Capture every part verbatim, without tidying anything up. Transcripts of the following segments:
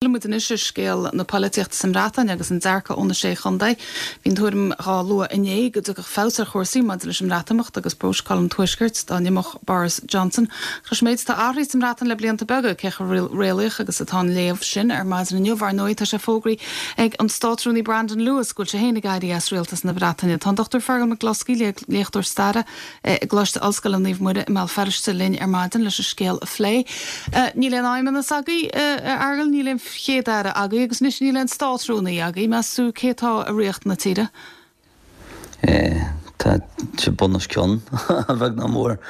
Muid anois ar scéal na polaitíochta sa mBreatain agus an dearcadh ó na Sé Chontae. Bhí an tuairim á lua inné go dtiocfadh feabhas ar chúrsaí maidir leis an mBreatimeacht agus próiseáil an Tuaiscirt dá n-imeodh Boris Johnson. Leis an méid atá athraithe sa mBreatain le blianta beaga cé chomh réalaíoch agus atá an léamh sin ar maidin inniu ar ndóigh tá sé fógraithe ag an Státrúnaí Brandon Lewis go bhfuil sé féin ag éirí as rialtas na Breataine. Tá an Dr Fergal McCloskey léachtóir staire i gColáiste Ollscoile Naomh Muire i mBéal Feirste linn ar maidin leis an scéal a phlé. Níl aon fheidhmeannas agaibh a Fheargail níl aon chéad-aire agaibh agus anois níl aon státrúnaí agaibh meas tú cé atá i riocht na tíre. Tá sé bun os cionn a bheag nach mór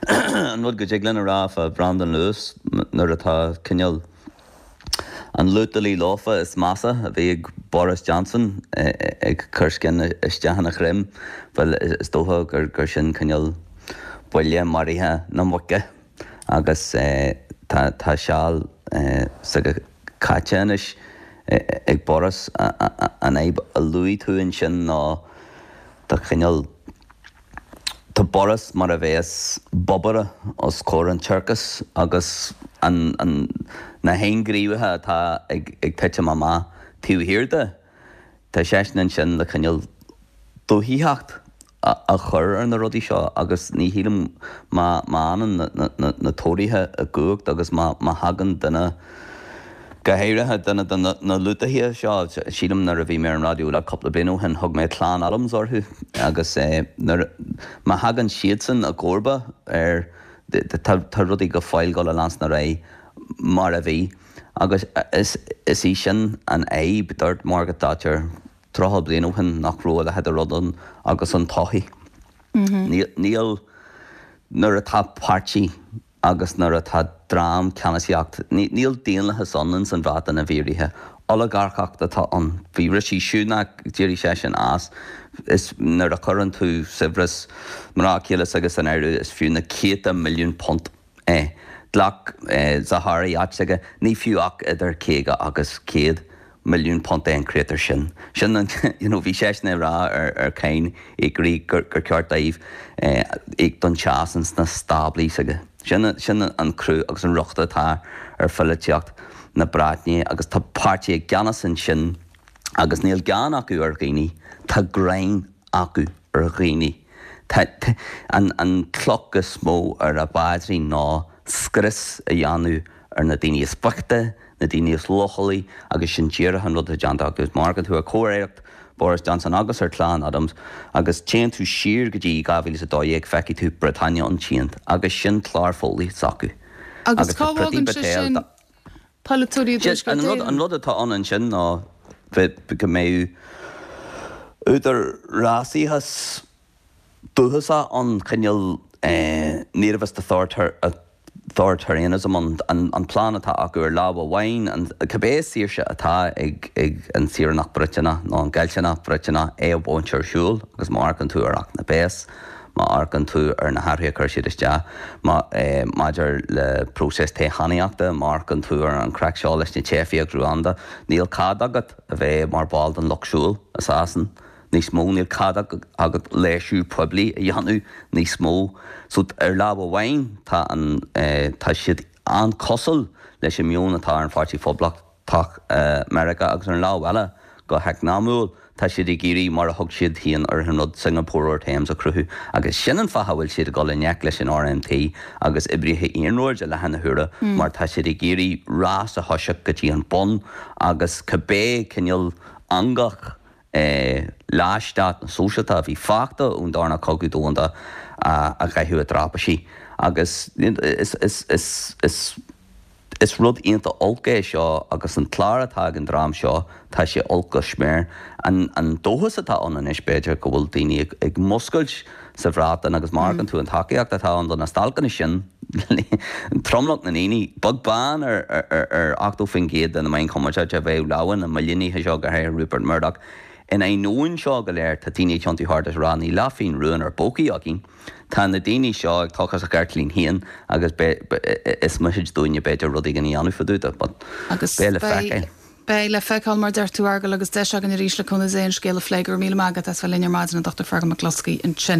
an rud go dtig linn a rá fá Brandon Lewis nuair atá cineál an lútalí lofa is measa a bhí ag Boris Johnson ag cur scian isteach ina dhroim well is dócha gur gur sin cineál buille maraithe na muice agus tá tá seal s'aige caite anois ag Boris an fhadhb a luaigh tú ansin ná tá cineál tá Boris mar a bheas bobaire os comhair an tsiorcais agus an an na hainghníomhaithe atá ag ag titim amach taobh thiar de tá seisean ansin le cineál dúthaitheacht a chur ar na rudaí seo agus ní shílim má má fhanann na na Tóraithe i gcumhacht agus má má thagann duine go háirithe duine de na lútaithe seo sílim nuair a bhí mé ar an raidió le cúpla bliain ó shin thug mé Clann Adams orthu agus nuair má thagann siadsan i gcomharba ar tá rudaí go fóill ag dul a leanstan ar aghaidh mar a bhí agus is is í sin an fhadhb dúirt Margaret Thatcher tríocha bliain ó shin nach raibh a leithéid de rud ann agus an todhchaí. Níl nuair atá páirtí agus nuair atá dream ceannasaíocht, níl daonlathas ann ins an Bhreatain i bhfírinne. Olagarcacht atá ann. Bhí Rishi Sunak d'éirigh seisean as is nuair a chuireann tú saibhreas mná céile s'aige san áireamh is fiú na céadta milliún punt é. Ghlac Zaharie áit s'aige, ní fiú ach idir caoga agus céad milliún punt é an créatúr sin. Sin an you know, bhí seisean ag rá ar ar cáin íocóirí gur gur ceart dóibh íoc don teas ins na stáblaí s'aige. Sin sin an cruth agus an riocht atá ar pholaitíocht na Breataine agus tá páirtí i gceannas ansin agus níl gean acu ar dhaoine, tá gráin acu ar dhaoine. Tá an an cloch is mó ar a bpaidrín ná scrios a dhéanamh ar na daoine is boichte, na daoine is leochailí agus sin díreach an rud atá déanta acu. Má amharcann tú ar chomh-aireacht Boris Johnson agus ar Chlann Adams agus téann tú siar go dtí dhá mhíle is a dó dhéag feicfidh tú Britannia Unchained agus sin clár foghlaí s'acu. Agus cá bhfágann sé sin polaiteoirí i dTuaisceart An rud Éireann? an rud atá ann ansin ná bheith go mbeidh údarásachas dúchasach ann cineál nativist authoritarianism an an an plean atá acu ar lámh amháin an cibé saoirse atá ag ag an saoránach Briotanach nó an Geilteanach Briotanach é a bhaint ar siúl agus má amharcann tú ar Acht na bPéas má amharcann tú ar na hathruithe a chuir siad isteach má maidir le próiseas toghchánaíochta má amharcann tú ar an craic seo leis na teifigh agus Ruanda níl cead agat a bheith mar ball den lucht siúil i Sasain níos mó níl cead agat léirsiú poiblí a dhéanamh níos mó so ar lámh amháin tá an tá siad an-chosúil leis an meon atá ar an Pháirtí Phoblachtach Meiriceá agus ar an lámh eile go heacnamúil tá siad ag iarraidh mar a thug siad féin ar an rud Singapore over Thames a chruthú agus sin an fáth a bhfuil siad ag dul i ngleic leis an RMT agus oibrithe iarnróid i láthair na huaire mar tá siad ag iarraidh rás a thoiseacht go dtí an bun agus cibé cineál eangach leathstát na sóisialta a bhí fágtha ón darna cogadh domhanda a chaitheamh i dtraipisí agus is is is is is rud iontach olc é seo agus an clár atá ag an dream seo tá sé olc go smior. An an dóchas atá ann anois b'fhéidir go bhfuil daoine ag ag muscailt sa Bhreatain agus má amharcann tú an tacaíocht atá ann do na stailceanna sin tromlach na ndaoine beag beann ar ar ar ochtó faoin gcéad de na meáin chumarsáide a bheith lamhain na milliúnaithe seo go háirithe Rupert Murdoch In ainneoin seo go léir tá daoine ag tiontú thart is ag rá níl leathphingin rua inár bpócaí againn. Tá na daoine seo ag tochas a gceirtlín féin agus is mithid dúinne b'fhéidir rud éigin a dhéanamh fá dtaobh de but Agus beidh le beidh feiceáil. beidh le feiceáil mar deir tú Fheargal agus deis againn arís le cúnamh Dé an scéal a phlé. Go raibh míle maith agat as bheith linn ar maidin an Dr Fergal McCloskey ansin.